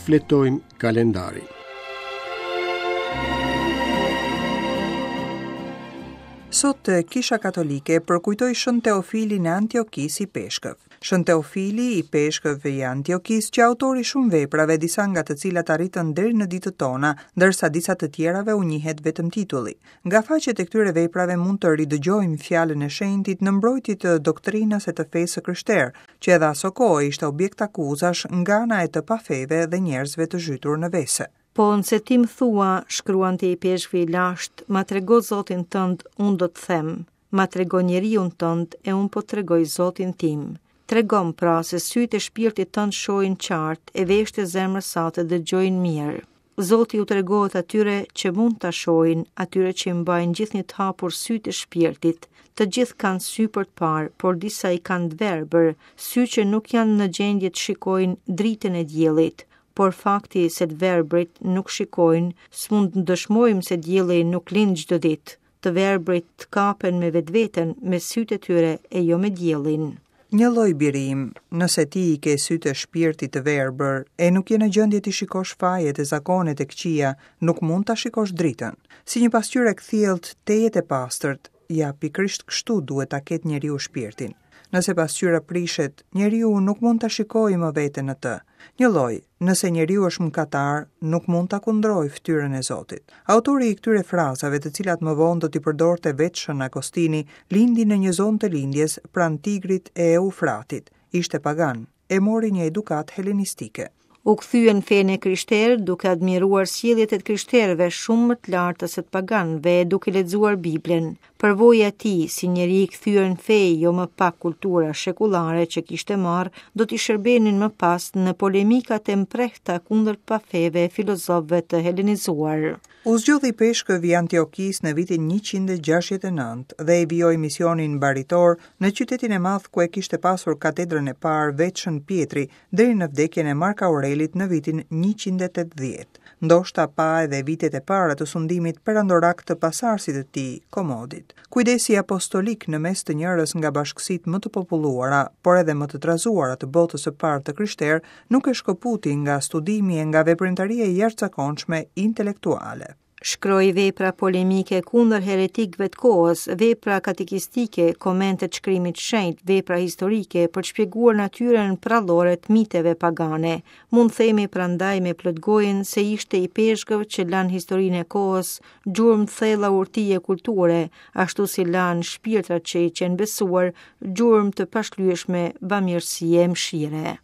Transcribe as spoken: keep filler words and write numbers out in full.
Shfletojmë kalendarin. Sot Kisha Katolike përkujtoi Shën Teofilin e Antiokisë ipeshkëv. Shën Teofili ipeshkëv i Antiokisë, që autori shumë veprave, disa nga të cilat arritën deri në ditët tona, ndërsa disa të tjerave u njihet vetëm titulli. Nga faqet e këtyre veprave mund të ridëgjojmë fjalën e shenjtit në mbrojtje të doktrinës e të fesë së krishterë, që edhe aso kohë ishte objekt akuzash nga ana e të pafeve dhe njerëzve të zhytur në vese. Po nëse ti më thua, shkruante ipeshkvi i lashtë, ma trego Zotin tënd, unë do të them, ma trego njeriun tënd e unë po tregoj Zotin tim. Tregom pra se sytë e shpirtit tënd shohin qartë e veshët e zemrës sate dëgjojnë mirë. Zoti u tregohet atyre që mund ta shohin, atyre që i mbajnë gjithnjë të hapur sytë e shpirtit. Të gjithë kanë sy për të parë, por disa i kanë të verbër, sy që nuk janë në gjendje të shikojnë dritën e diellit. Por fakti se të verbrit nuk shikojnë, s'mund të dëshmojmë se dielli nuk lind çdo ditë. Të verbrit të kapen me vetveten, me sytë e tyre e jo me diellin. Një lloj biri im, nëse ti i ke sytë e shpirtit të verbër e nuk je në gjendje të shikosh fajet e zakonet e këqija, nuk mund ta shikosh dritën. Si një pasqyrë e kthjellët tejet e pastërt, ja pikërisht kështu duhet ta ketë njeriu shpirtin. Nëse pasqyra prishet, njeriu nuk mund ta shikojë më veten në të. Një lloj, nëse njeriu është mëkatar, nuk mund ta kundrojë fytyrën e Zotit. Autori i këtyre frazave, të cilat më vonë do t'i përdorte vetë Shën Agostini, lindi në një zonë të lindjes pranë Tigrit e Eufratit. Ishte pagan e mori një edukatë helenistike. U kthye në fenë e krishterë duke admiruar sjelljet e të krishterëve shumë më të larta se të paganëve e duke lexuar Biblën. Përvoja e tij si njeri i kthyer në fe, jo më pak kultura shekullare që kishte marrë, do t'i shërbenin më pas në polemikat e mprehta kundër pafeve e filozofëve të helenizuar. U zgjodhi ipeshkëv i Antiokisë në vitin njëqind e gjashtëdhjetë e nëntë dhe e vijoi misionin baritor në qytetin e madh ku e kishte pasur katedrën e parë vetë Shën Pjetri deri në vdekjen e Mark Aurelit në vitin njëqind e tetëdhjetë. Ndoshta pa edhe vitet e para të sundimit perandorak të pasarësit të tij, Komodit. Kujdesi apostolik në mes të njërës nga bashkësitë më të populluara, por edhe më të trazuara të botës së parë të krishterë, nuk e shkëputi nga studimi e nga veprimtaria e jashtëzakonshme intelektuale. Shkroi vepra polemike kundër heretikëve të kohës, vepra katekistike, komente të shkrimit shenjt, vepra historike për të shpjeguar natyrën prallore të miteve pagane. Mund themi prandaj me plot gojën se ishte ipeshkëv që lan historinë e kohës, gjurmë të thella urtie kulture, ashtu si lan shpirtrat që i qenë besuar, gjurmë të pashlyeshme bamirësie e mëshire.